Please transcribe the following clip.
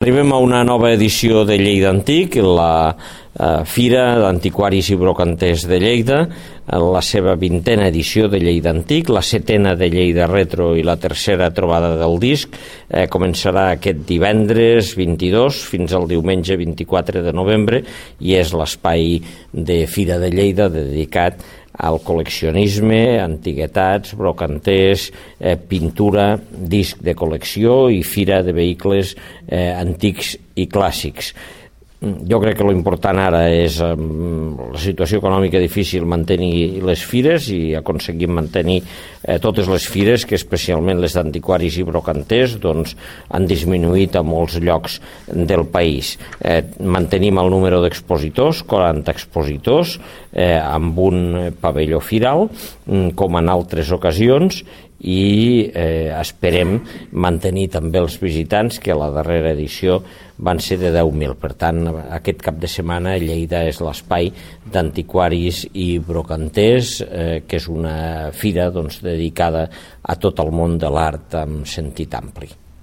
Arribem a una nova edició de Lleida Antic, la Fira d'Antiquaris i Brocanters de Lleida, la seva 20a edició de Lleida Antic, la 7a de Lleida Retro i la 3a trobada del disc. Començarà aquest divendres 22 fins al diumenge 24 de novembre i és l'espai de Fira de Lleida dedicat al col·leccionisme, antiguitats, brocanters, pintura, disc de col·lecció i fira de vehicles antics i clàssics. Jo crec que l'important ara és la situació econòmica difícil, mantenir les fires i aconseguir mantenir totes les fires, que especialment les d'antiquaris i brocanters han disminuït a molts llocs del país. Mantenim el número d'expositors, 40 expositors, amb un pavelló firal, com en altres ocasions, i esperem mantenir també els visitants, que a la darrera edició van ser de 10.000. Per tant, aquest cap de setmana Lleida és l'espai d'antiquaris i brocanters, que és una fira dedicada a tot el món de l'art en sentit ampli.